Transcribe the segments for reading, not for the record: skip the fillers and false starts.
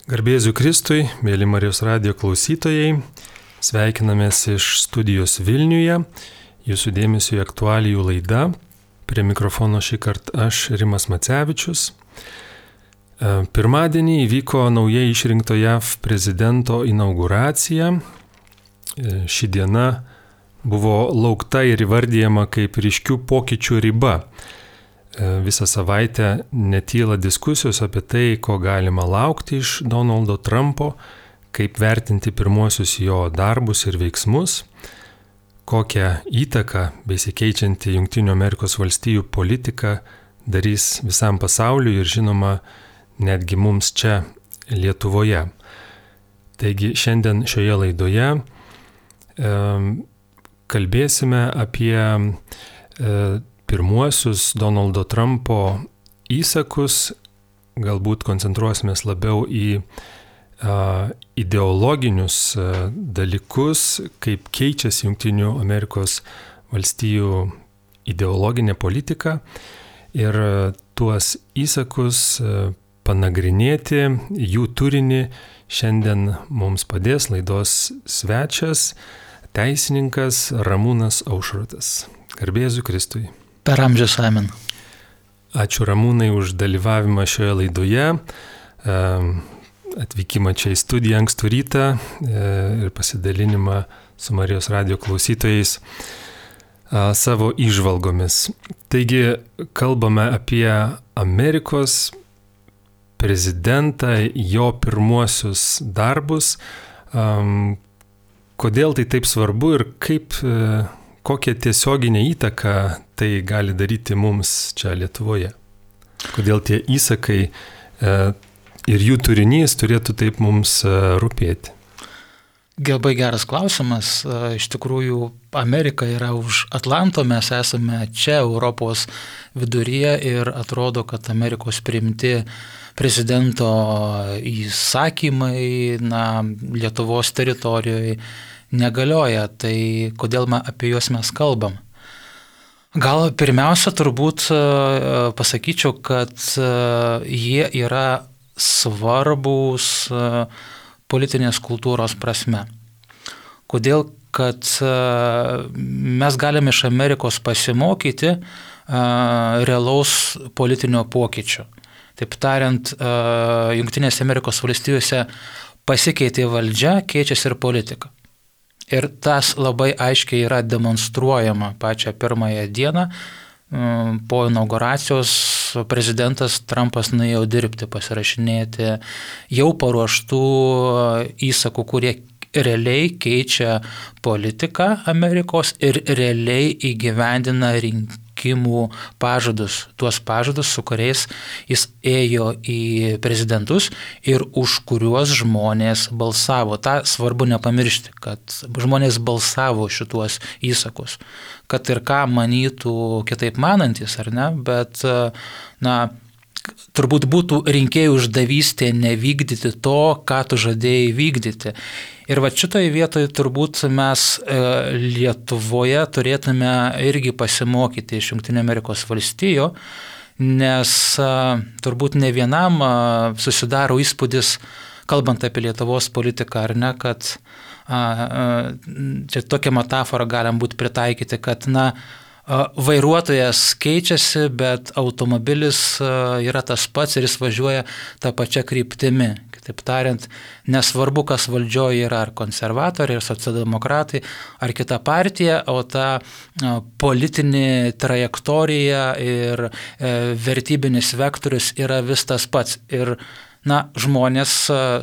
Garbėsiu Kristui, mėly Marijos radijo klausytojai, sveikinamės iš studijos Vilniuje, jūsų dėmesio į aktualijų laidą. Prie mikrofono šį kartą aš, Rimas Macevičius. Pirmadienį įvyko naujai išrinkto JAV prezidento inauguracija. Ši diena buvo laukta ir įvardyjama kaip ryškių pokyčių riba. Visą savaitę netyla diskusijos apie tai, ko galima laukti iš Donaldo Trumpo, kaip vertinti pirmuosius jo darbus ir veiksmus, kokią įtaką besikeičianti Jungtinių Amerikos valstijų politika darys visam pasauliui ir žinoma netgi mums čia Lietuvoje. Taigi šiandien šioje laidoje kalbėsime apie pirmuosius Donaldo Trumpo įsakus, galbūt koncentruosimės labiau į ideologinius dalykus, kaip keičiasi Jungtinių Amerikos valstijų ideologinė politika ir tuos įsakus panagrinėti, jų turinį šiandien mums padės laidos svečias, teisininkas Ramūnas Aušrotas. Garbėsiu Kristui. Per amžius amen. Ačiū Ramūnai už dalyvavimą šioje laidoje, atvykimą čia į studiją ankstų rytą ir pasidalinimą su Marijos radijo klausytojais savo įžvalgomis. Taigi kalbame apie Amerikos prezidentą, jo pirmuosius darbus. Kodėl tai taip svarbu ir kokią tiesioginę įtaką tai gali daryti mums čia Lietuvoje? Kodėl tie įsakai ir jų turinys turėtų taip mums rūpėti? Labai geras klausimas. Iš tikrųjų, Amerika yra už Atlanto, mes esame čia Europos viduryje ir atrodo, kad Amerikos priimti prezidento įsakymai Lietuvos teritorijoje negalioja, tai kodėl apie juos mes kalbam? Gal pirmiausia turbūt pasakyčiau, kad jie yra svarbūs politinės kultūros prasme. Kodėl? Kad mes galime iš Amerikos pasimokyti realaus politinio pokyčio. Taip tariant, Jungtinėse Amerikos valstijose pasikeitė valdžia, keičiasi ir politika. Ir tas labai aiškiai yra demonstruojama pačią pirmąją dieną. Po inauguracijos prezidentas Trumpas nuėjo dirbti, pasirašinėti jau paruoštų įsakų, kurie realiai keičia politiką Amerikos ir realiai įgyvendina rinkimų pažadus. Tuos pažadus, su kuriais jis ėjo į prezidentus ir už kuriuos žmonės balsavo. Ta svarbu nepamiršti, kad žmonės balsavo šituos įsakus. Kad ir ką manytų kitaip manantis, ar ne, bet turbūt būtų rinkėjų uždavystė nevykdyti to, ką tu žadėjai vykdyti. Ir šitoje vietoje turbūt mes Lietuvoje turėtume irgi pasimokyti iš Jungtinių Amerikos valstijų, nes turbūt ne vienam susidaro įspūdis, kalbant apie Lietuvos politiką, ar ne, kad čia tokią metaforą galim būti pritaikyti, kad vairuotojas keičiasi, bet automobilis yra tas pats ir jis važiuoja tą pačią kryptimi. Kitaip tariant, nesvarbu, kas valdžioje yra, ar konservatoriai, ar socialdemokratai, ar kita partija, o ta politinė trajektorija ir vertybinis vektorius yra vis tas pats. Ir žmonės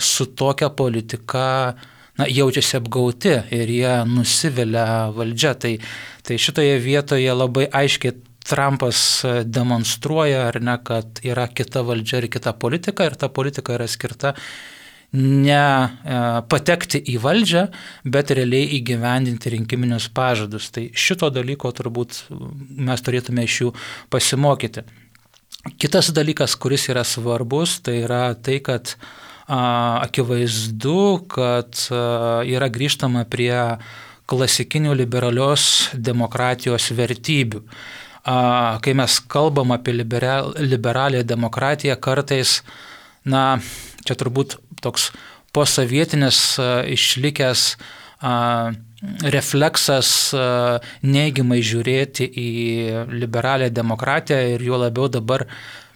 su tokia politika jaučiasi apgauti ir jie nusivilia valdžia. Tai šitoje vietoje labai aiškiai Trumpas demonstruoja, ar ne, kad yra kita valdžia ir kita politika, ir ta politika yra skirta ne patekti į valdžią, bet realiai įgyvendinti rinkiminius pažadus. Tai šito dalyko turbūt mes turėtume iš jų pasimokyti. Kitas dalykas, kuris yra svarbus, tai yra tai, kad akivaizdu, kad yra grįžtama prie klasikinių liberalios demokratijos vertybių. Kai mes kalbam apie liberalią demokratiją, kartais, čia turbūt toks posovietinis išlikęs refleksas neigiamai žiūrėti į liberalią demokratiją ir juo labiau dabar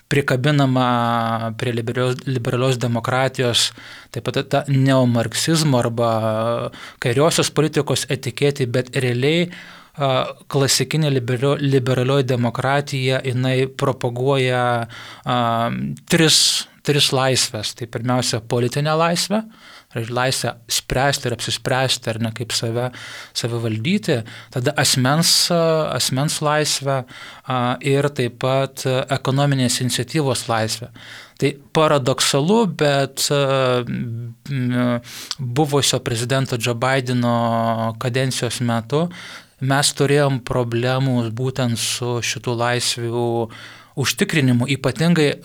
prikabinama prie liberalios demokratijos, taip pat ta neomarksizmo arba kairiosios politikos etiketė, bet realiai klasikinė liberalioji demokratija, jinai propaguoja tris laisvės. Tai pirmiausia, politinė laisvė, laisvę spręsti ir apsispręsti, ar ne kaip save valdyti, tada asmens laisvę ir taip pat ekonominės iniciatyvos laisvę. Tai paradoksalu, bet buvusio prezidento Joe Bideno kadencijos metu mes turėjom problemų būtent su šitų laisvių užtikrinimu. Ypatingai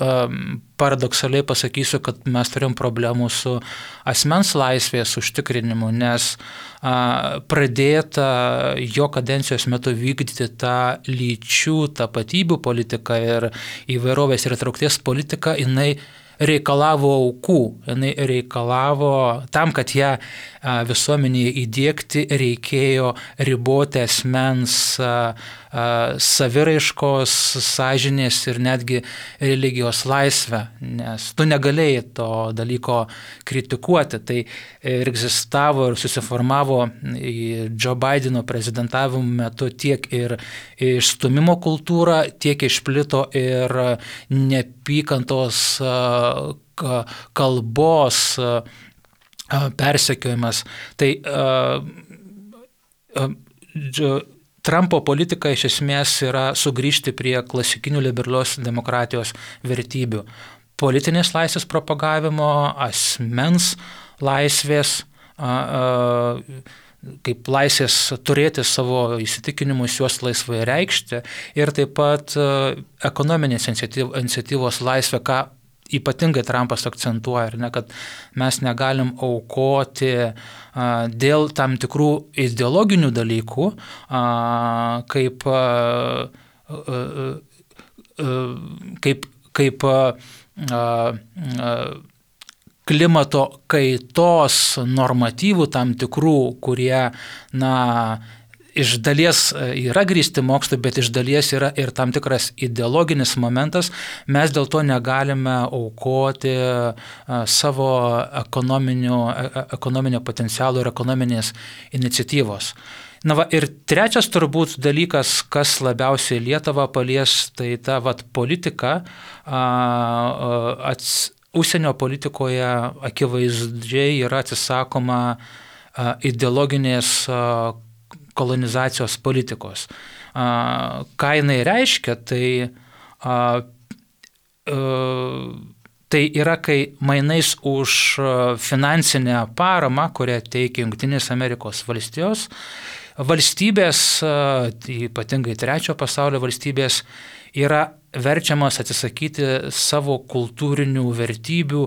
paradoksaliai pasakysiu, kad mes turėjom problemų su asmens laisvės užtikrinimu, nes pradėta jo kadencijos metu vykdyti tą lyčių tapatybių politiką ir įvairovės ir įtraukties politiką, jinai reikalavo aukų, jinai reikalavo, tam, kad ją visuomenėje įdiegti, reikėjo riboti asmens saviraiškos, sąžinės ir netgi religijos laisvę, nes tu negalėjai to dalyko kritikuoti. Tai ir egzistavo ir susiformavo Joe Bideno prezidentavimo metu tiek ir išstūmimo kultūra, tiek išplito ir neapykantos kalbos persekiojimas. Tai Trumpo politika iš esmės yra sugrįžti prie klasikinių liberalios demokratijos vertybių. Politinės laisvės propagavimo, asmens laisvės, kaip laisvės turėti savo įsitikinimus, juos laisvai reikšti ir taip pat ekonominės iniciatyvos laisvė, ką ypatingai Trumpas akcentuoja, ar ne, kad mes negalim aukoti dėl tam tikrų ideologinių dalykų, kaip klimato kaitos normatyvų tam tikrų, kurie, iš dalies yra grįsti mokslu, bet iš dalies yra ir tam tikras ideologinis momentas, mes dėl to negalime aukoti savo ekonominio potencialo ir ekonominės iniciatyvos. Ir trečias turbūt dalykas, kas labiausiai Lietuvą palies, tai ta politika, užsienio politikoje akivaizdžiai yra atsisakoma ideologinės kolonizacijos politikos. Ką jinai reiškia, tai yra, kai mainais už finansinę paramą, kurią teikia Jungtinės Amerikos valstijos, valstybės, ypatingai trečio pasaulio valstybės, yra verčiamas atsisakyti savo kultūrinių vertybių,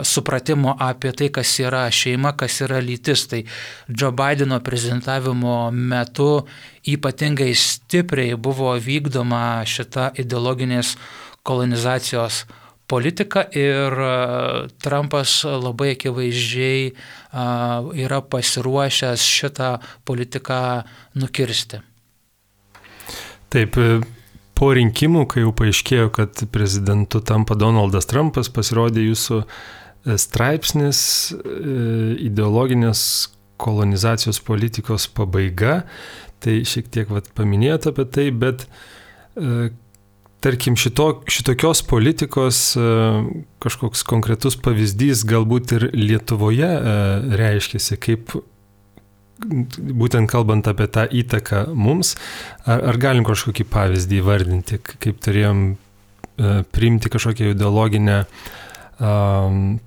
supratimo apie tai, kas yra šeima, kas yra lytis. Tai Joe Bideno prezidentavimo metu ypatingai stipriai buvo vykdoma šita ideologinės kolonizacijos politika ir Trumpas labai akivaizdžiai yra pasiruošęs šitą politiką nukirsti. Taip, po rinkimų, kai jau paaiškėjo, kad prezidentu tampa Donaldas Trumpas, pasirodė jūsų straipsnis ideologinės kolonizacijos politikos pabaiga. Tai šiek tiek paminėjote apie tai, bet tarkim šitokios politikos kažkoks konkretus pavyzdys galbūt ir Lietuvoje reiškiasi, kaip būtent kalbant apie tą įtaką mums, ar galim kažkokį pavyzdį įvardinti, kaip turėjom priimti kažkokią ideologinę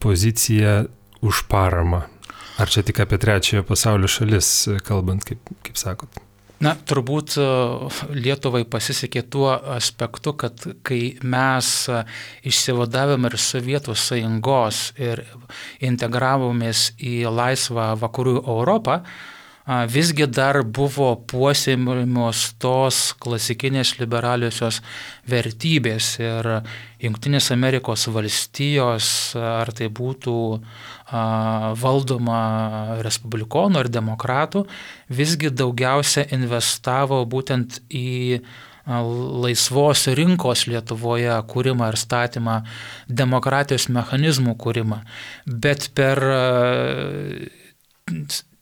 poziciją už paramą? Ar čia tik apie trečiojo pasaulio šalis kalbant, kaip sakot? Turbūt Lietuvai pasisekė tuo aspektu, kad kai mes išsivadavome ir Sovietų sąjungos ir integravomės į laisvą vakarų Europą, visgi dar buvo puoselėjamos tos klasikinės liberaliosios vertybės ir Jungtinės Amerikos valstijos, ar tai būtų valdoma respublikonų ar demokratų, visgi daugiausia investavo būtent į laisvos rinkos Lietuvoje kūrimą ir statymą, demokratijos mechanizmų kūrimą. Bet per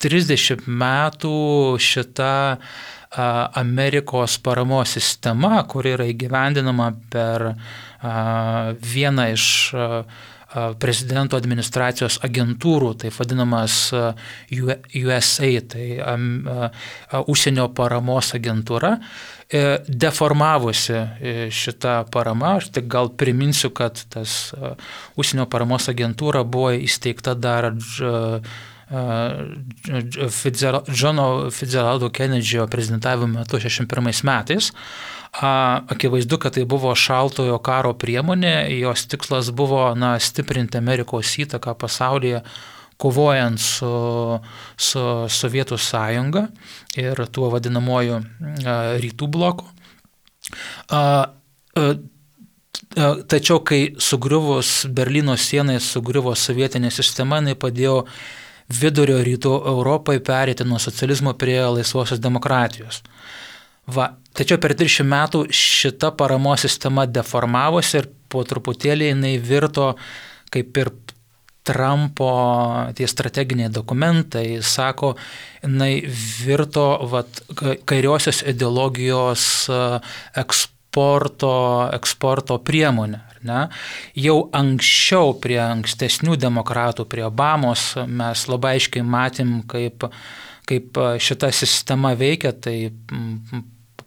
30 metų šita Amerikos paramos sistema, kuri yra įgyvendinama per vieną iš prezidento administracijos agentūrų, tai vadinamas USA, tai užsienio paramos agentūra, deformavusi šitą paramą. Aš tik gal priminsiu, kad tas užsienio paramos agentūra buvo įsteigta dar Johno Fitzgeraldo Kennedyo prezidentavimo metu 61 metais. Akivaizdu, kad tai buvo šaltojo karo priemonė, jos tikslas buvo stiprinti Amerikos įtaką pasaulyje, kovojant su Sovietų sąjunga ir tuo vadinamoju rytų bloku. Tačiau, kai sugriuvus Berlyno sienai, sugriuvo sovietinė sistema, jinai padėjo vidurio rytų Europai pereiti nuo socializmo prie laisvosios demokratijos. Tačiau per 30 metų šita paramos sistema deformavosi ir po truputėlį jinai virto, kaip ir Trumpo tie strateginiai dokumentai, sako, jinai virto kairiosios ideologijos eksporto priemonę. Ne? Jau anksčiau prie ankstesnių demokratų, prie Obamos, mes labai aiškiai matėm, kaip šita sistema veikia. Tai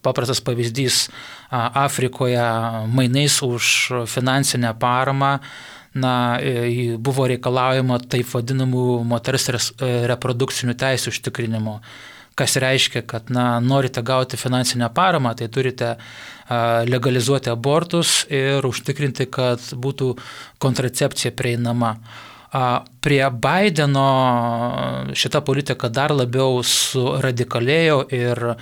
paprastas pavyzdys Afrikoje mainais už finansinę paramą buvo reikalaujama taip vadinamų moters reprodukcinių teisių užtikrinimo. Kas reiškia, kad norite gauti finansinę paramą, tai turite legalizuoti abortus ir užtikrinti, kad būtų kontracepcija prieinama. Prie Bideno šita politika dar labiau suradikalėjo ir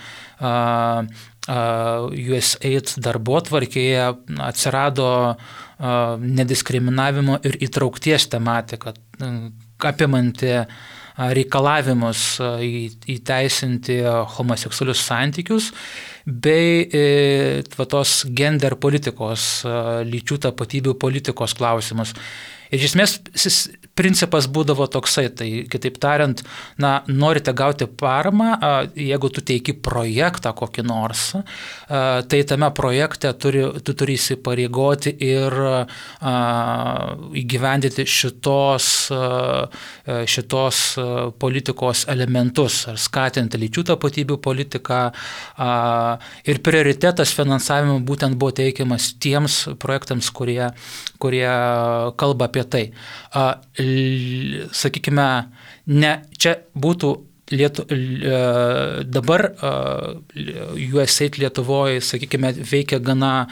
USAID darbotvarkėje atsirado nediskriminavimo ir įtraukties tematika, apimanti reikalavimus įteisinti homoseksualius santykius bei tos gender politikos, lyčių tapatybių politikos klausimus. Ir iš esmės principas būdavo toksai, tai kitaip tariant, norite gauti paramą, jeigu tu teiki projektą kokį nors, tai tame projekte tu turi įsipareigoti ir įgyvendinti šitos politikos elementus, ar skatinti lyčių tapatybių politiką, ir prioritetas finansavimo būtent buvo teikiamas tiems projektams, kurie kalba apie tai. Sakykime, čia būtų dabar USAID Lietuvoje, sakykime, veikia gana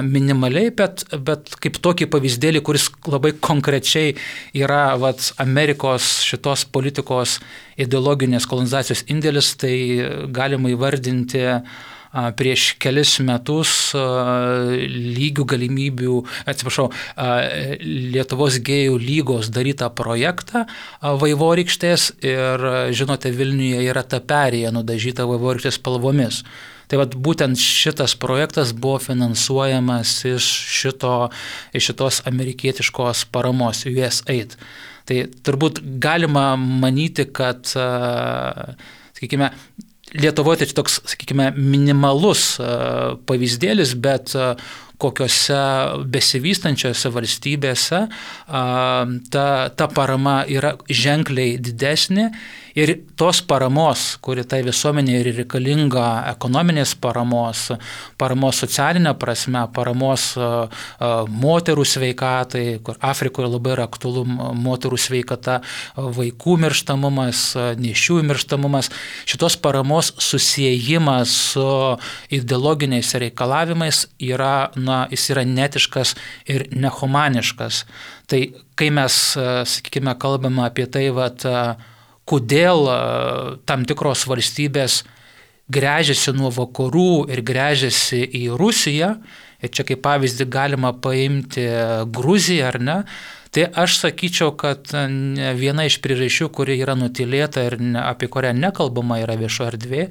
minimaliai, bet kaip tokį pavyzdėlį, kuris labai konkrečiai yra Amerikos šitos politikos ideologinės kolonizacijos indėlis, tai galima įvardinti prieš kelis metus Lietuvos gėjų lygos darytą projektą Vaivorykštės ir, žinote, Vilniuje yra ta perėja nudažyta Vaivorykštės spalvomis. Tai būtent šitas projektas buvo finansuojamas iš šitos amerikietiškos paramos USAID. Tai turbūt galima manyti, kad, sakykime, Lietuvoje tai toks, sakykime, minimalus pavyzdėlis, bet kokiose besivystančiose valstybėse ta parama yra ženkliai didesnė ir tos paramos, kuri tai visuomenė yra reikalinga, ekonominės paramos socialinė prasme, paramos moterų sveikatai, kur Afrikoje labai yra aktualu moterų sveikata, vaikų mirštamumas, nėščių mirštamumas, šitos paramos susiejimas su ideologiniais reikalavimais jis yra netiškas ir nehumaniškas. Tai kai mes, sakykime, kalbame apie tai, kodėl tam tikros valstybės gręžiasi nuo vakarų ir gręžiasi į Rusiją, ir čia kaip pavyzdį galima paimti Gruziją, ar ne, tai aš sakyčiau, kad viena iš priežasčių, kuri yra nutylėta ir apie kurią nekalbama yra viešo erdvė,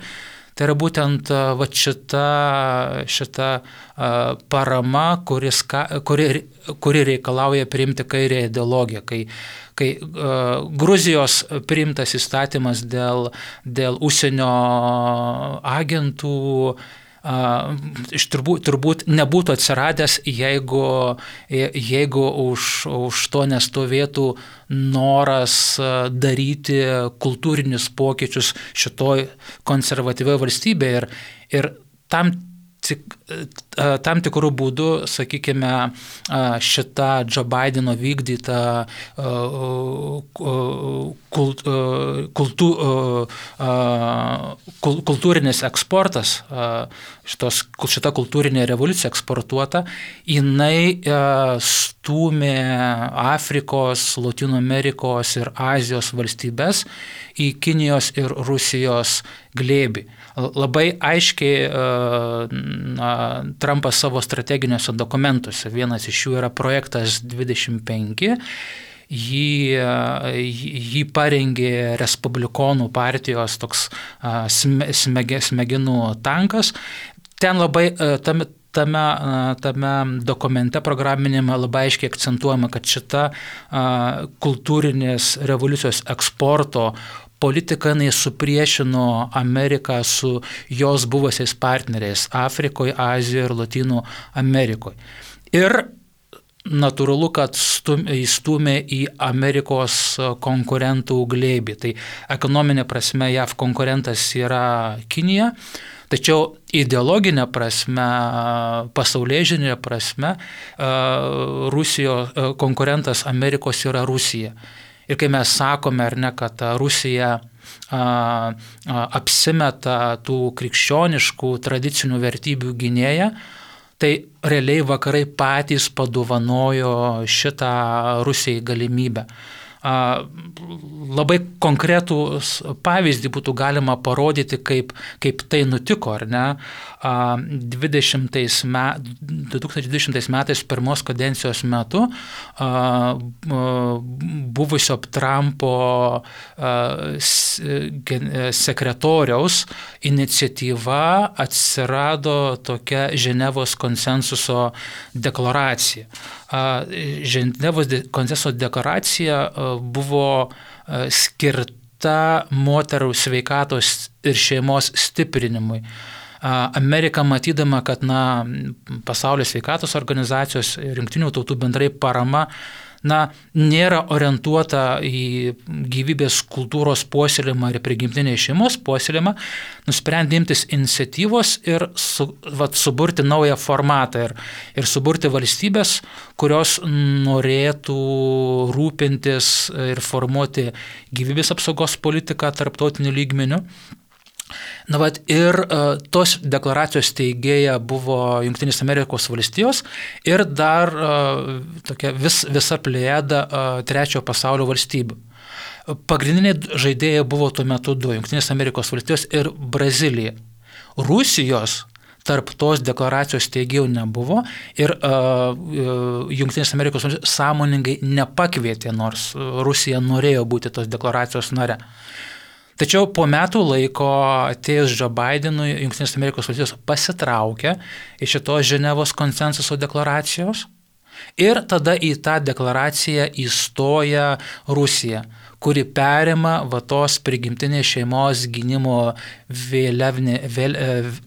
tai yra būtent šita parama, kuri reikalauja priimti kairę ideologiją. Kai Gruzijos priimtas įstatymas dėl užsienio agentų turbūt nebūtų atsiradęs, jeigu už to nestovėtų noras daryti kultūrinius pokyčius šitoj konservatyvioje valstybėje ir tam tikrų būdų, sakykime, šita Joe Bideno vykdyta kultūrinis eksportas, šita kultūrinė revoliucija eksportuota, jinai stūmė Afrikos, Lotynų Amerikos ir Azijos valstybės į Kinijos ir Rusijos glėbį. Labai aiškiai Trumpas savo strateginiuose dokumentuose, vienas iš jų yra projektas 25, jį parengė Respublikonų partijos toks smegenų tankas. Ten labai tame dokumente programinėme labai aiškiai akcentuojama, kad šita kultūrinės revoliucijos eksporto politika supriešino Ameriką su jos buvusiais partneriais Afrikoje, Azijoje ir Lotynų Amerikoje. Ir natūralu, kad įstūmė į Amerikos konkurentų glėbį. Tai ekonominė prasme JAV konkurentas yra Kinija, tačiau ideologinė prasme, pasaulėžiūrinė prasme, Rusijos konkurentas Amerikos yra Rusija. Ir kai mes sakome, ar ne, kad Rusija apsimeta tų krikščioniškų tradicinių vertybių gynėja, tai realiai vakarai patys padovanojo šitą Rusijai galimybę. Labai konkretų pavyzdį būtų galima parodyti, kaip tai nutiko, ar ne? 2020 metais pirmos kadencijos metu buvusio Trumpo sekretoriaus iniciatyva atsirado tokia Ženevos konsensuso deklaracija. Ženevos konsensuso deklaracija buvo skirta moterų sveikatos ir šeimos stiprinimui. Amerika matydama, kad pasaulio sveikatos organizacijos ir Jungtinių tautų bendrai parama nėra orientuota į gyvybės kultūros puoselėjimą ir prigimtinės šeimos puoselėjimą, nusprendė imtis iniciatyvos ir suburti naują formatą ir suburti valstybės, kurios norėtų rūpintis ir formuoti gyvybės apsaugos politiką tarptautiniu lygmeniu. Ir tos deklaracijos teigėja buvo Jungtinės Amerikos valstijos ir dar tokia visa plejada trečiojo pasaulio valstybių. Pagrindiniai žaidėjai buvo tuo metu du – Jungtinės Amerikos valstijos ir Brazilija. Rusijos tarp tos deklaracijos teigėjų nebuvo ir Jungtinės Amerikos valstijos sąmoningai nepakvietė, nors Rusija norėjo būti tos deklaracijos nare. Tačiau po metų laiko atėjus Joe Bidenui, Jungtinės Amerikos valstijos pasitraukė iš šitos Ženevos konsensuso deklaracijos ir tada į tą deklaraciją įstoja Rusija, kuri perima tos prigimtinės šeimos gynimo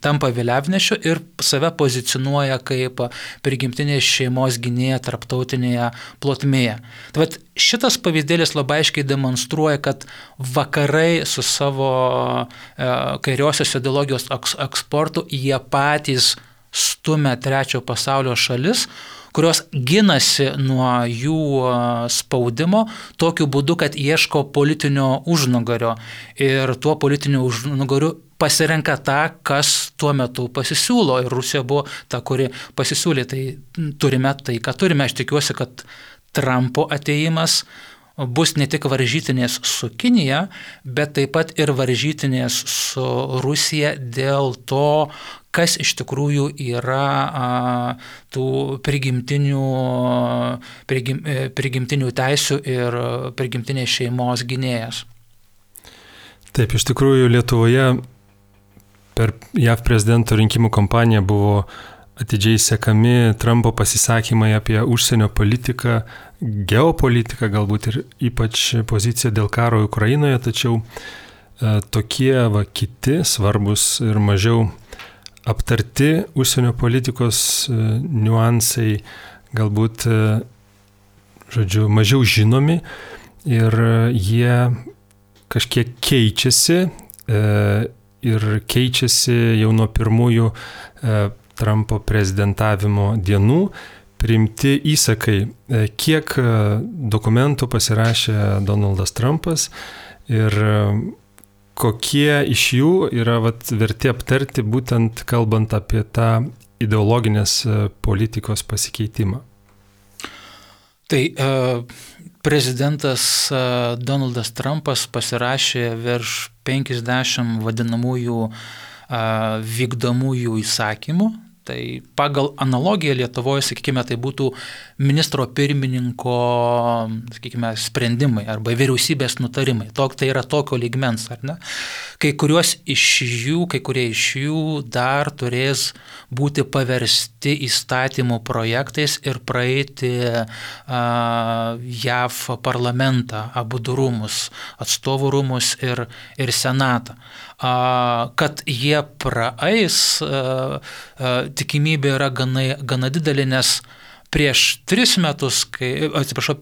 tampa vėliavnešiu ir save pozicionuoja kaip prigimtinės šeimos gynėja tarptautinėje plotmėje. Tai šitas pavyzdėlis labai aiškiai demonstruoja, kad vakarai su savo kairiosios ideologijos eksportu jie patys stumia trečiojo pasaulio šalis, kurios ginasi nuo jų spaudimo tokiu būdu, kad ieško politinio užnugario ir tuo politiniu užnugariu pasirenka tą, kas tuo metu pasisiūlo ir Rusija buvo ta, kuri pasisiūlė. Tai turime tai, ką turime. Aš tikiuosi, kad Trumpo atėjimas bus ne tik varžytinės su Kinija, bet taip pat ir varžytinės su Rusija dėl to, kas iš tikrųjų yra tų prigimtinių teisių ir prigimtinės šeimos gynėjas. Taip, iš tikrųjų Lietuvoje per JAV prezidento rinkimų kampaniją buvo atidžiai sekami Trumpo pasisakymai apie užsienio politiką, geopolitiką, galbūt ir ypač poziciją dėl karo Ukrainoje, tačiau tokie kiti svarbus ir mažiau aptarti užsienio politikos niuansai galbūt, mažiau žinomi ir jie kažkiek keičiasi ir keičiasi jau nuo pirmųjų Trumpo prezidentavimo dienų, priimti įsakai, kiek dokumentų pasirašė Donaldas Trumpas ir kokie iš jų yra verti aptarti, būtent kalbant apie tą ideologinės politikos pasikeitimą. Tai prezidentas Donaldas Trumpas pasirašė virš 50 vadinamųjų vykdomųjų įsakymų. Tai pagal analogiją Lietuvoje, sakykime, tai būtų ministro pirmininko, sakykime, sprendimai arba vyriausybės nutarimai. Tai yra tokio lygmens, ar ne? Kai kurie iš jų dar turės būti paversti įstatymų projektais ir praeiti JAV parlamentą, abu du rūmus, atstovų rūmus ir senatą. Kad jie praeis, tikimybė yra gana didelė, nes prieš 3 metus,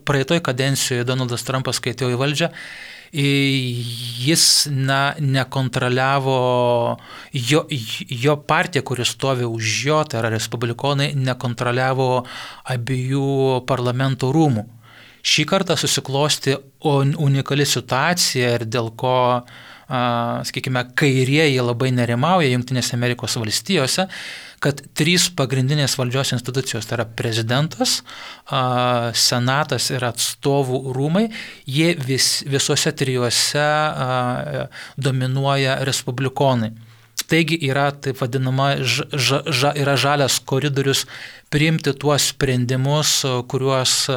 praeitoj kadencijoje Donaldas Trumpas, kai atėjo į valdžią, jis nekontroliavo, jo partija, kuris stovi už jo, tai yra respublikonai, nekontroliavo abiejų parlamento rūmų. Šį kartą susiklosti unikali situacija ir dėl ko, sakykime, kairieji labai nerimauja Jungtinėse Amerikos valstijose, kad 3 pagrindinės valdžios institucijos, tai yra prezidentas, senatas ir atstovų rūmai, jie visuose 3 dominuoja respublikonai. Taigi yra taip vadinama yra žalias koridorius priimti tuos sprendimus, kuriuos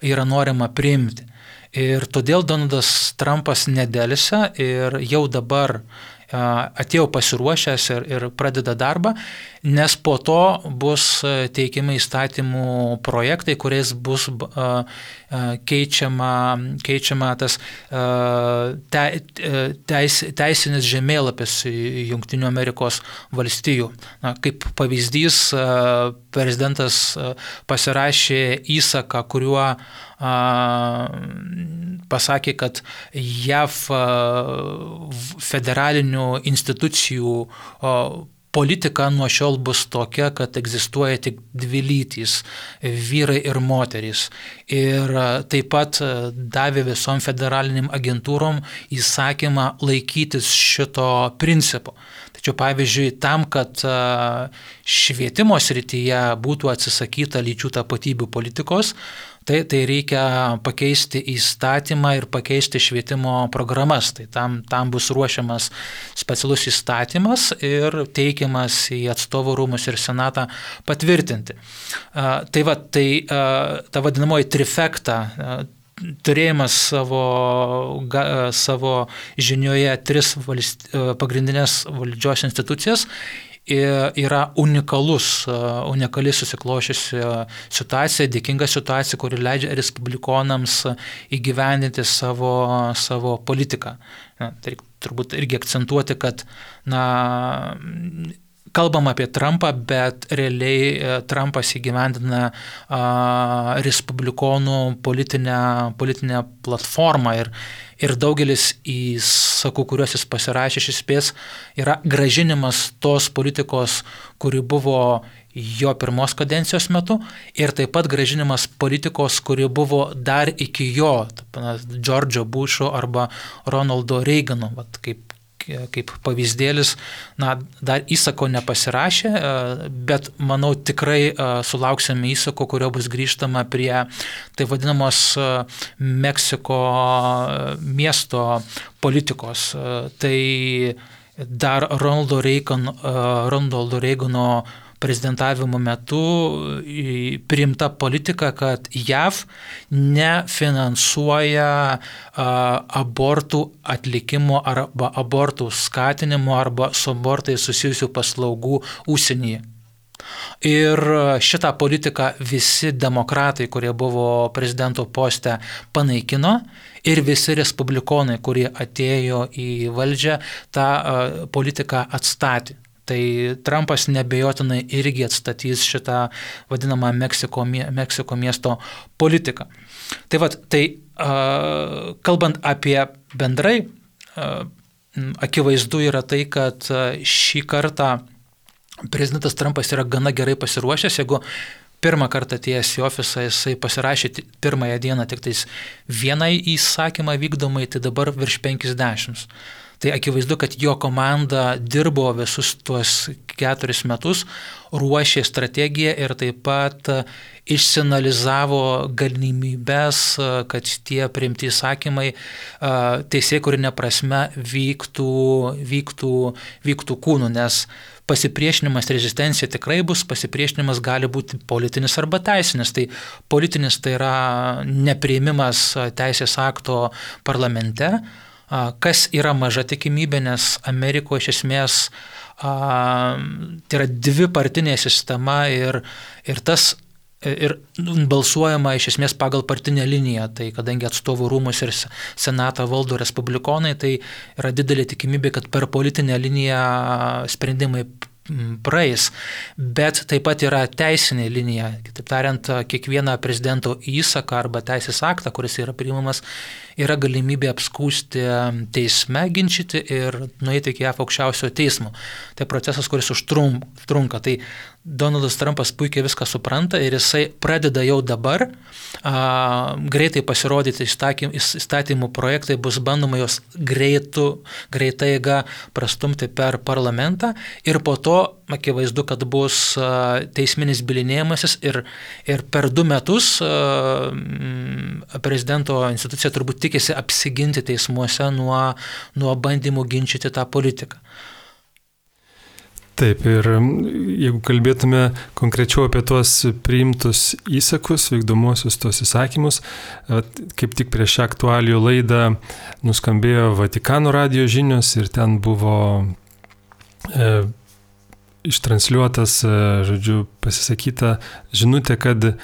yra norima priimti. Ir todėl Donaldas Trumpas nedelsia ir jau dabar atėjo pasiruošęs ir pradeda darbą, nes po to bus teikiami įstatymų projektai, kuriais bus keičiama tas teisinis žemėlapis Jungtinių Amerikos valstijų. Kaip pavyzdys, prezidentas pasirašė įsaką, kuriuo pasakė, kad JAV federalinių institucijų politika nuo šiol bus tokia, kad egzistuoja tik 2 lytys – vyrai ir moterys. Ir taip pat davė visom federaliniam agentūrom įsakymą laikytis šito principo. Tačiau, pavyzdžiui, tam, kad švietimo srityje būtų atsisakyta lyčių tapatybių politikos, tai reikia pakeisti įstatymą ir pakeisti švietimo programas. Tai tam bus ruošiamas specialus įstatymas ir teikiamas į atstovų rūmus ir senatą patvirtinti. Ta vadinamoji trifekta, turėjimas savo žinioje 3 pagrindinės valdžios institucijas, yra unikali susiklošiusi situacija, dėkinga situacija, kuri leidžia respublikonams įgyvendinti savo politiką. Tai turbūt irgi akcentuoti, kad kalbam apie Trumpą, bet realiai Trumpas įgyvendina respublikonų politinę platformą ir daugelis įsakų, kuriuos jis pasirašė, iš esmės yra grąžinimas tos politikos, kuri buvo jo pirmos kadencijos metu, ir taip pat grąžinimas politikos, kuri buvo dar iki jo, Džordžo Bušo arba Ronaldo Reigano, kaip kaip pavyzdėlis, dar įsako nepasirašė, bet manau tikrai sulauksime įsako, kurio bus grįžtama prie tai vadinamos Meksiko miesto politikos. Tai dar Ronaldo Reagano prezidentavimo metu priimta politika, kad JAV nefinansuoja abortų atlikimo arba abortų skatinimo arba su abortais susijusių paslaugų užsienyje. Ir šitą politiką visi demokratai, kurie buvo prezidento poste, panaikino ir visi respublikonai, kurie atėjo į valdžią, tą politiką atstatė. Tai Trumpas nebejotinai irgi atstatys šitą vadinamą Meksiko miesto politiką. Tai kalbant apie bendrai, akivaizdu yra tai, kad šį kartą prezidentas Trumpas yra gana gerai pasiruošęs. Jeigu pirmą kartą atėjęs į ofisą jisai pasirašė pirmąją dieną tik tais vieną įsakymą vykdomai, tai dabar virš 50. Tai akivaizdu, kad jo komanda dirbo visus tuos 4 metus, ruošė strategiją ir taip pat išsianalizavo galimybės, kad tie priimti įsakymai teisėkūrine prasme vyktų kūnu, nes pasipriešinimas, rezistencija tikrai bus, pasipriešinimas gali būti politinis arba teisinis. Tai politinis tai yra nepriėmimas teisės akto parlamente, kas yra maža tikimybė, nes Amerikoje iš esmės tai yra dvipartinė sistema ir balsuojama iš esmės pagal partinę liniją. Tai kadangi atstovų rūmus ir senatą valdo respublikonai, tai yra didelė tikimybė, kad per politinę liniją sprendimai praeis, bet taip pat yra teisinė linija. Kitaip tariant, kiekvieną prezidento įsaką arba teisės aktą, kuris yra priimamas, yra galimybė apskųsti teisme, ginčyti ir nueiti iki JAV aukščiausiojo teismo. Tai procesas, kuris užtrunka. Tai Donaldas Trumpas puikiai viską supranta ir jisai pradeda jau dabar greitai pasirodyti įstatymų projektai, bus bandoma jos greitai eiga prastumti per parlamentą ir po to akivaizdu, kad bus teisminis bylinėjimasis ir per 2 metus prezidento institucija turbūt tikisi apsiginti teismuose nuo bandymų ginčyti tą politiką. Taip, ir jeigu kalbėtume konkrečiau apie tuos priimtus įsakus, vykdomuosius tuos įsakymus, kaip tik prieš šią aktualijų laidą nuskambėjo Vatikano radijo žinios ir ten buvo ištransliuotas, pasisakyta žinutė, kad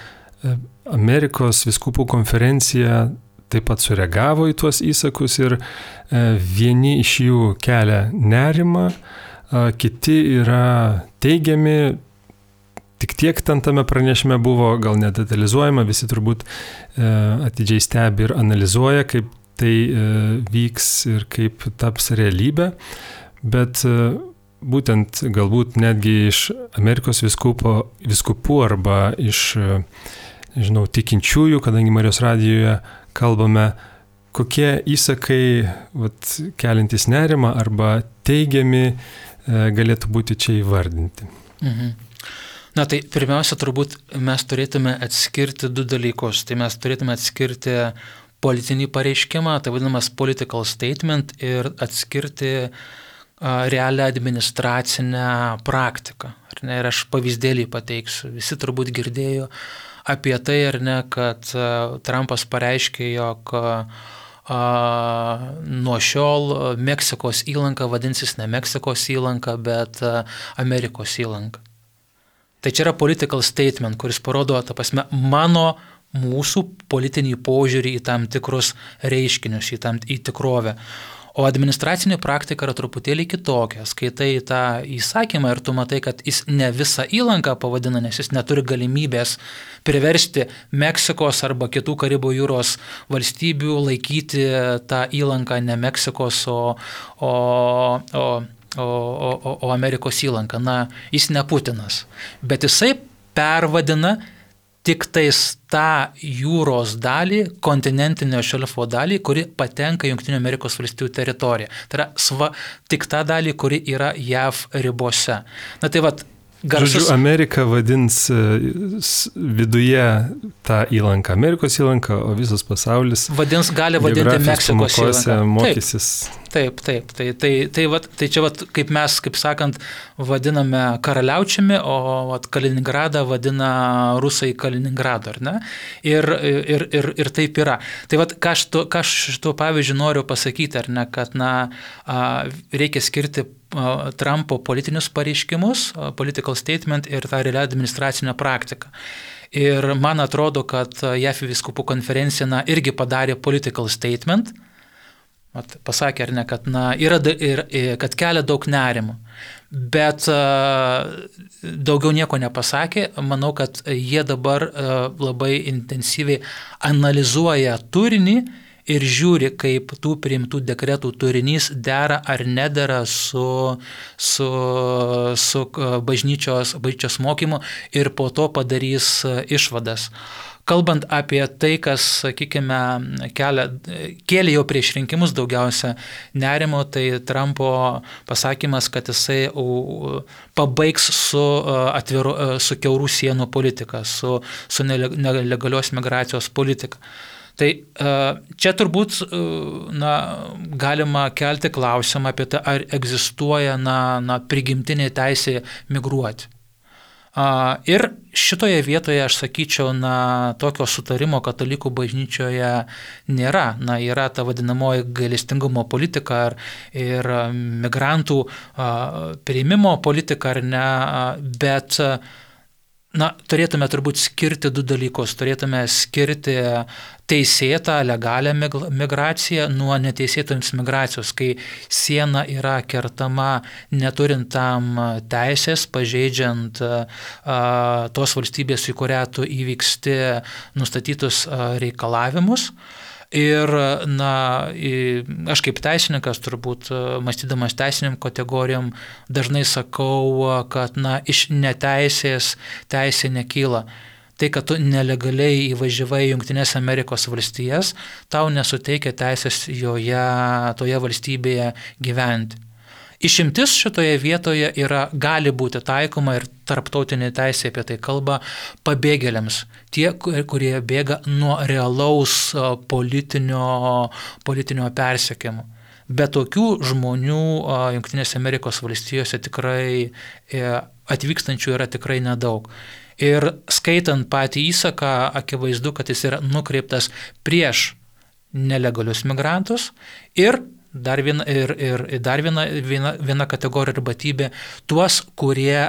Amerikos vyskupų konferencija taip pat sureagavo į tuos įsakus ir vieni iš jų kelia nerimą, kiti yra teigiami, tik tiek ten tame pranešime buvo, gal nedetalizuojama, visi turbūt atidžiai stebi ir analizuoja, kaip tai vyks ir kaip taps realybė, bet būtent galbūt netgi iš Amerikos vyskupų arba iš, tikinčiųjų, kadangi Marijos radijoje kalbame, kokie įsakai keliantys nerimą arba teigiami galėtų būti čia įvardinti. Na tai pirmiausia, turbūt mes turėtume atskirti 2 dalykus. Tai mes turėtume atskirti politinį pareiškimą, tai vadinamas political statement, ir atskirti realią administracinę praktiką. Ir aš pavyzdėlį pateiksiu. Visi turbūt girdėjo apie tai, kad Trumpas pareiškė, jog nuo šiol Meksikos įlanka vadinsis ne Meksikos įlanka, bet Amerikos įlanka. Tai čia yra political statement, kuris parodo, mūsų politinį požiūrį į tam tikrus reiškinius, į tikrovę. O administracinė praktika yra truputėlį kitokia. Skaitai tą įsakymą ir tu matai, kad jis ne visą įlanką pavadina, nes jis neturi galimybės priversti Meksikos arba kitų Karibų jūros valstybių laikyti tą įlanką ne Meksikos, o Amerikos įlanką. Jis ne Putinas. Bet jisai pervadina tik tais tą jūros dalį, kontinentinio šelfo dalį, kuri patenka Jungtinių Amerikos valstijų teritoriją. Tai yra tik tą dalį, kuri yra JAV ribose. Na tai vat, Žodžiu, Amerika vadins viduje tą įlanką Amerikos įlanką, o visas pasaulis gali vadinti Meksikos įlanką. Mokysis. Taip. Tai čia, kaip mes, kaip sakant, vadiname karaliaučiami, o Kaliningradą vadina rusai Kaliningradu, ar ne? Ir taip yra. Tai ką aš šituo pavyzdžiu noriu pasakyti, ar ne, kad reikia skirti Trumpo politinius pareiškimus, political statement ir tą realią administracinę praktiką. Ir man atrodo, kad JAF vyskupų konferencija irgi padarė political statement, pasakė, ar ne, kad, kad kelia daug nerimo. Bet daugiau nieko nepasakė. Manau, kad jie dabar labai intensyviai analizuoja turinį ir žiūri, kaip tų priimtų dekretų turinys dera ar nedera su bažnyčios mokymu ir po to padarys išvadas. Kalbant apie tai, kas, sakykime, kėlė jau prieš rinkimus daugiausia nerimo, tai Trumpo pasakymas, kad jisai pabaigs su kiaurų sienų politika, su nelegalios migracijos politika. Tai čia turbūt galima kelti klausimą apie tai, ar egzistuoja prigimtinė teisė migruoti. Ir šitoje vietoje aš sakyčiau, tokio sutarimo katalikų bažnyčioje nėra. Yra ta vadinamoji gailestingumo politika ir migrantų priėmimo politika, ar ne, bet turėtume turbūt skirti du dalykus. Turėtume skirti teisėtą, legalią migraciją nuo neteisėtos migracijos, kai siena yra kertama neturint tam teisės, pažeidžiant tos valstybės, į kurią tu įvyksti nustatytus reikalavimus. Ir aš kaip teisininkas, turbūt mąstydamas teisiniam kategorijom, dažnai sakau, kad iš neteisės teisė nekyla. Tai, kad tu nelegaliai įvažiavai į Jungtines Amerikos valstijas, tau nesuteikia teisės toje valstybėje gyventi. Išimtis šitoje vietoje gali būti taikoma ir tarptautinė teisė apie tai kalba pabėgėliams. Tie, kurie bėga nuo realaus politinio persekiojimo. Bet tokių žmonių Jungtinėse Amerikos valstijose tikrai atvykstančių yra tikrai nedaug. Ir skaitant patį įsaką, akivaizdu, kad jis yra nukreiptas prieš nelegalius migrantus ir dar viena kategorija ir batybė tuos, kurie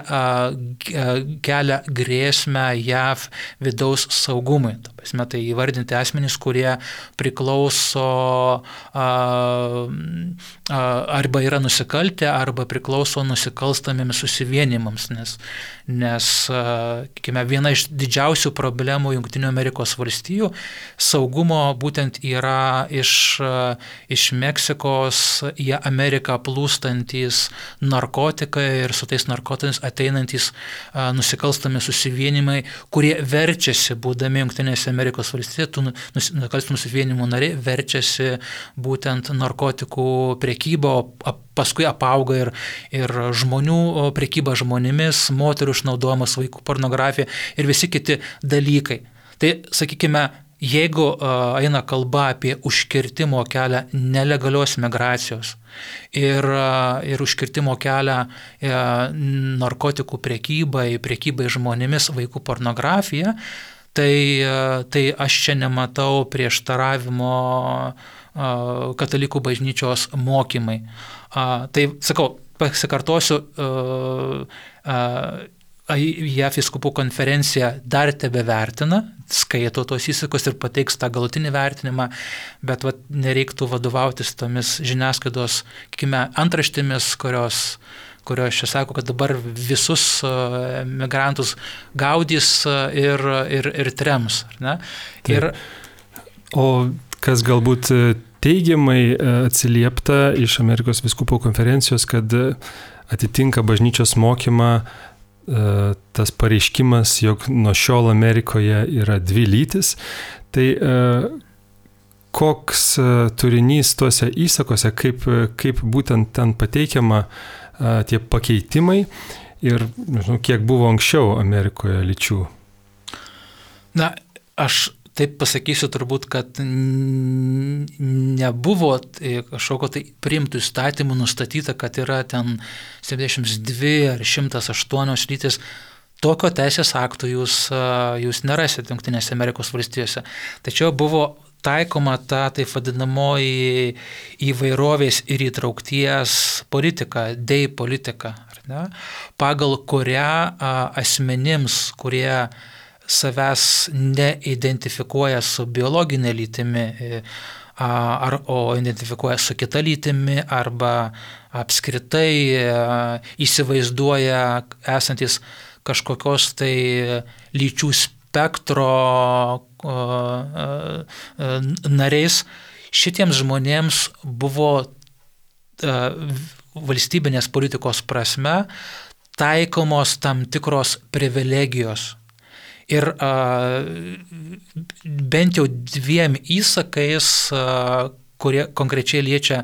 kelia grėsmę JAV vidaus saugumui. Tai įvardinti asmenys, kurie priklauso arba yra nusikaltę, arba priklauso nusikalstamiems susivienimams, nes viena iš didžiausių problemų Jungtinių Amerikos valstijų saugumo būtent yra iš Meksikos į Ameriką plūstantys narkotikai ir su tais narkotikais ateinantys nusikalstami susivienimai, kurie verčiasi, būdami Jungtinėse Amerikos valstijose, nusikalstamų susivienimų nariai verčiasi būtent narkotikų prekyba, paskui apauga ir žmonių prekyba žmonėmis, moterų išnaudojimas, vaikų pornografija ir visi kiti dalykai. Tai, sakykime, jeigu eina kalba apie užkirtimo kelią nelegalios migracijos ir užkirtimo kelią narkotikų prekybai žmonėmis, vaikų pornografija, tai aš čia nematau prieštaravimo katalikų bažnyčios mokymai. Tai, sakau, pasikartosiu, JAF vyskupų konferencija dar tebevertina, skaito tos įsakus ir pateiks tą galutinį vertinimą, bet nereiktų vadovautis tomis žiniasklaidos, antraštėmis, kurios čia sako, kad dabar visus migrantus gaudys ir trems. Ne? O kas galbūt teigiamai atsiliepta iš Amerikos vyskupų konferencijos, kad atitinka bažnyčios mokymą tas pareiškimas, jog nuo šiol Amerikoje yra 2 lytis. Tai koks turinys tuose įsakose, kaip būtent ten pateikiama tie pakeitimai ir kiek buvo anksčiau Amerikoje lyčių? Na, aš taip pasakysiu turbūt, kad nebuvo kažkokio tai priimtų įstatymų nustatyta, kad yra ten 72 ar 108 lytis. Tokio teisės aktų jūs nerasite Jungtinėse Amerikos valstijose. Tačiau buvo taikoma ta taip vadinamoji įvairovės ir įtraukties politika, DEI politika, ar ne? Pagal kurią asmenims, kurie savęs neidentifikuoja su biologinė lytimi, o identifikuoja su kita lytimi, arba apskritai įsivaizduoja esantis kažkokios tai lyčių spektro nariais, šitiems žmonėms buvo valstybinės politikos prasme taikomos tam tikros privilegijos. Ir bent jau 2 įsakais, kurie konkrečiai liečia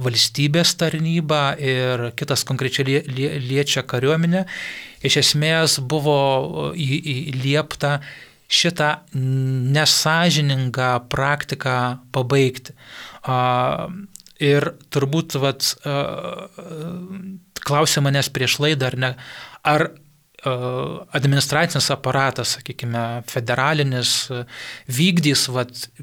valstybės tarnybą ir kitas konkrečiai liečia kariuomenę, iš esmės buvo įliepta šitą nesąžiningą praktiką pabaigti. Ir turbūt klausė manęs prieš laidą, ar administracinis aparatas, sakykime, federalinis vykdys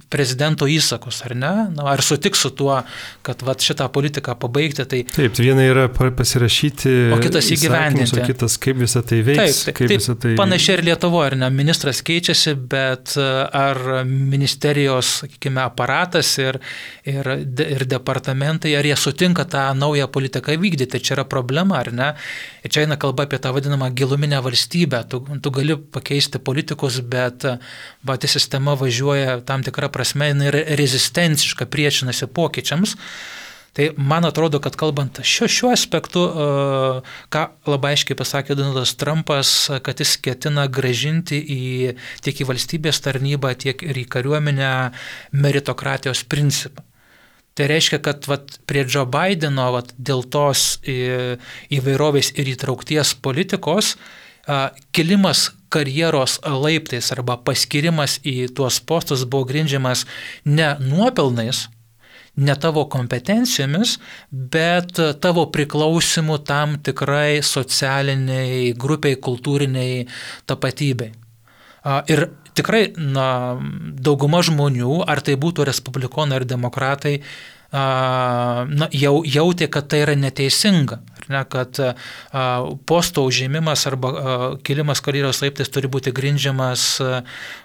prezidento įsakus, ar ne? Ar sutiks su tuo, kad šitą politiką pabaigti. Tai... Taip, viena yra pasirašyti, o kitas įgyvendinti. O kitas kaip visą tai veiks. Taip, panašiai ir Lietuvoje, ar ne? Ministras keičiasi, bet ar ministerijos, sakykime, aparatas ir departamentai, ar jie sutinka tą naują politiką vykdyti. Čia yra problema, ar ne? Ir čia eina kalba apie tą vadinamą giluminę valstybę. Tu gali pakeisti politikus, bet pati sistema važiuoja tam tikrą prasme, jinai yra rezistenciška, priešinasi pokyčiams. Tai man atrodo, kad kalbant šiuo aspektu, ką labai aiškiai pasakė Donaldas Trumpas, kad jis ketina grąžinti tiek į valstybės tarnybą, tiek ir į kariuomenę meritokratijos principą. Tai reiškia, kad prie Joe Bideno dėl tos įvairovės ir įtraukties politikos kilimas karjeros laiptais arba paskirimas į tuos postus buvo grindžiamas ne nuopelnais, ne tavo kompetencijomis, bet tavo priklausimu tam tikrai socialiniai grupiai, kultūriniai tapatybei. Ir tikrai dauguma žmonių, ar tai būtų respublikonai ar demokratai, jautė, kad tai yra neteisinga, kad posto užėmimas arba kilimas karjeros laiptais turi būti grindžiamas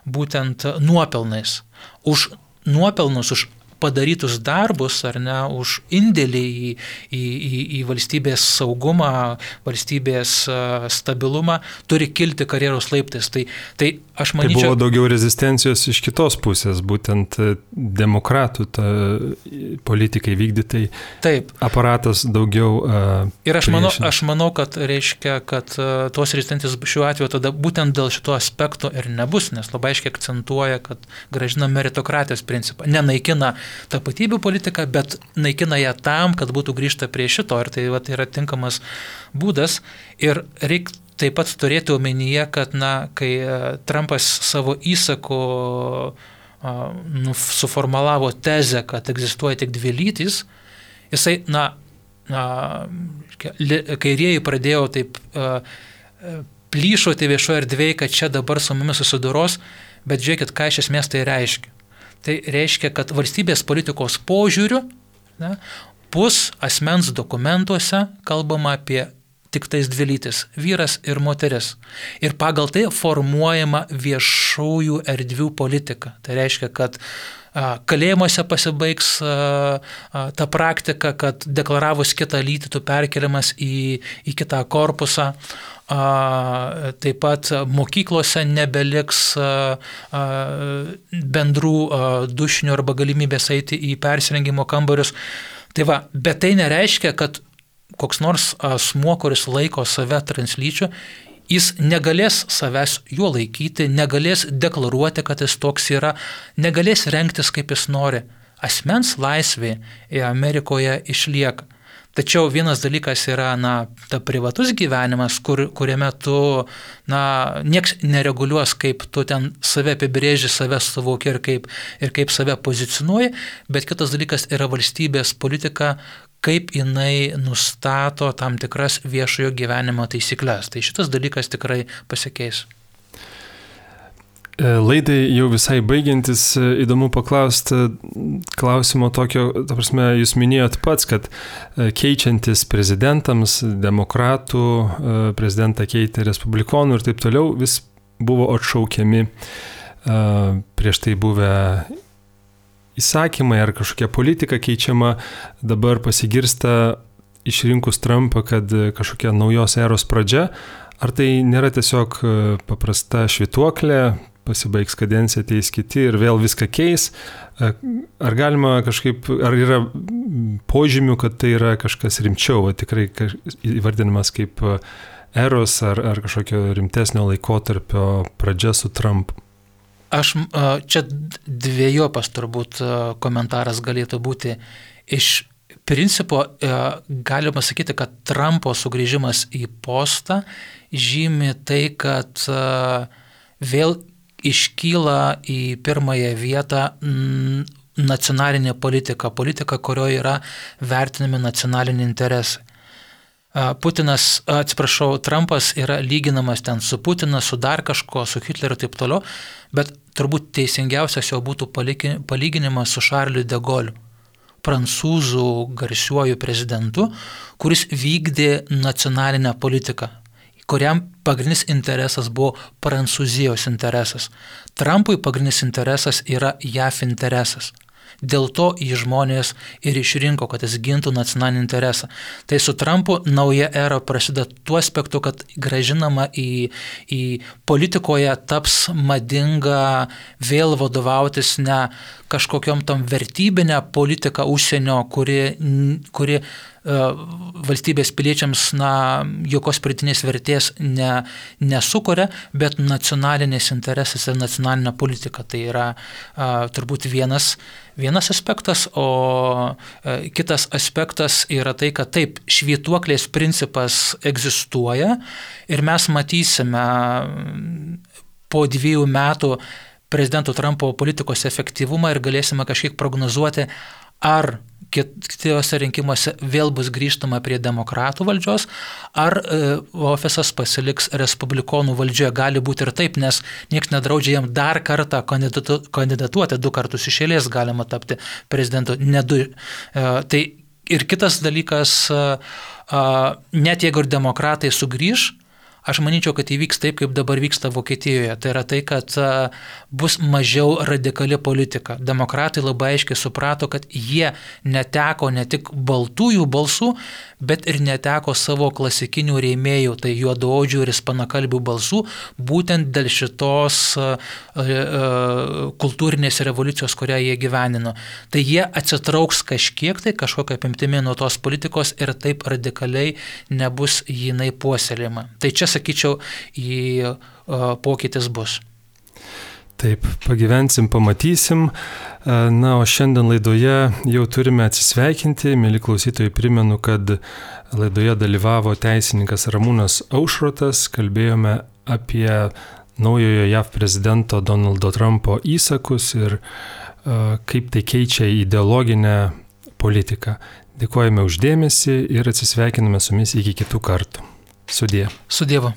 būtent nuopelnais. Už nuopelnus, už padarytus darbus, ar ne, už indėlį į valstybės saugumą, valstybės stabilumą, turi kilti karjeros laiptais. Tai aš manyčiau... Tai buvo daugiau rezistencijos iš kitos pusės, būtent demokratų politikai vykdytai. Taip. Aparatas daugiau... Ir aš manau, kad reiškia, kad tos rezistencijos šiuo atveju tada būtent dėl šito aspekto ir nebus, nes labai aiškiai akcentuoja, kad grąžina meritokratijos principą. Nenaikina tapatybių politiką, bet naikina ją tam, kad būtų grįžta prie šito. Ir tai yra tinkamas būdas. Ir reikia taip pat turėti omenyje, kad kai Trumpas savo įsaku suformalavo tezę, kad egzistuoja tik 2 lytys, jisai, kairieji pradėjo taip plyšoti viešoje erdvėje, kad čia dabar su mumis susidoros, bet žiūrėkit, ką iš esmės tai reiškia. Tai reiškia, kad valstybės politikos požiūriu bus asmens dokumentuose kalbama apie tik tais 2 lytis – vyras ir moteris. Ir pagal tai formuojama viešųjų erdvių politika. Tai reiškia, kad kalėjimuose pasibaigs ta praktika, kad deklaravus kitą lytį tu perkeliamas į kitą korpusą. Taip pat mokyklose nebeliks bendrų dušinių arba galimybės eiti į persirengimo kambarius. Tai bet tai nereiškia, kad koks nors asmuo, kuris laiko save translyčiu, jis negalės savęs juo laikyti, negalės deklaruoti, kad jis toks yra, negalės rengtis kaip jis nori. Asmens laisvė Amerikoje išlieka. Tačiau vienas dalykas yra, ta privatus gyvenimas, kuriame tu, nieks nereguliuos, kaip tu ten save apibrėži, save suvoki ir kaip save pozicionuoji, bet kitas dalykas yra valstybės politika, kaip jinai nustato tam tikras viešojo gyvenimo taisyklės. Tai šitas dalykas tikrai pasikeis. Laidai jau visai baigiantis, įdomu paklausti klausimo tokio, ta prasme, jūs minėjot pats, kad keičiantis prezidentams, demokratų, prezidentą keitė respublikonų ir taip toliau, vis buvo atšaukiami prieš tai buvę įsakymai ar kažkokia politika keičiama, dabar pasigirsta išrinkus Trumpą, kad kažkokia naujos eros pradžia, ar tai nėra tiesiog paprasta švytuoklė, pasibaigs kadencija, ateis kiti ir vėl viską keis. Ar galima kažkaip, ar yra požymių, kad tai yra kažkas rimčiau, tikrai įvardinamas kaip eros ar kažkokio rimtesnio laikotarpio pradžia su Trumpu? Čia dviejopas turbūt komentaras galėtų būti. Iš principo galima sakyti, kad Trumpo sugrįžimas į postą žymi tai, kad vėl iškyla į pirmąją vietą nacionalinė politika, kurioje yra vertinami nacionaliniai interesai. Trumpas yra lyginamas ten su Putinu, su dar kažko, su Hitleriu ir taip toliau, bet turbūt teisingiausias jo būtų palyginimas su Šarliu de Gauliu, prancūzų garsiuoju prezidentu, kuris vykdė nacionalinę politiką, kuriam pagrindinis interesas buvo Prancūzijos interesas. Trumpui pagrindinis interesas yra JAF interesas. Dėl to jį žmonės ir išrinko, kad jis gintų nacionalinį interesą. Tai su Trumpu nauja era prasideda tuo aspektu, kad grąžinama į politikoje taps madinga vėl vadovautis ne kažkokiom tam vertybinę politiką užsienio, kuri valstybės piliečiams jokios pridėtinės vertės nesukuria, bet nacionalinės interesas ir nacionalinė politika. Tai yra turbūt vienas aspektas, o kitas aspektas yra tai, kad taip, švytuoklės principas egzistuoja ir mes matysime po 2 metų prezidento Trumpo politikos efektyvumą ir galėsime kažkiek prognozuoti, ar kitose rinkimuose vėl bus grįžtama prie demokratų valdžios, ar ofisas pasiliks respublikonų valdžioje. Gali būti ir taip, nes niekas nedraudžia jam dar kartą kandidatuoti, 2 kartus iš eilės galima tapti prezidentu, ne 2. Tai ir kitas dalykas, net jeigu ir demokratai sugrįž, aš manyčiau, kad įvyks taip, kaip dabar vyksta Vokietijoje. Tai yra tai, kad bus mažiau radikali politika. Demokratai labai aiškiai suprato, kad jie neteko ne tik baltųjų balsų, bet ir neteko savo klasikinių rėmėjų, tai juodaodžių ir ispanakalbių balsų, būtent dėl šitos kultūrinės revoliucijos, kurią jie gyvenino. Tai jie atsitrauks kažkiek, tai kažkokia apimtimi nuo tos politikos ir taip radikaliai nebus jinai puoselėjama. Tai čia, sakyčiau, pokytis bus. Taip, pagyvensim, pamatysim. O šiandien laidoje jau turime atsisveikinti. Mėly klausytojai, primenu, kad laidoje dalyvavo teisininkas Ramūnas Aušrotas. Kalbėjome apie naujojo JAV prezidento Donaldo Trumpo įsakus ir kaip tai keičia ideologinę politiką. Dėkojame už dėmesį ir atsisveikiname su jumis iki kitų kartų. Sudie. Su Dievu.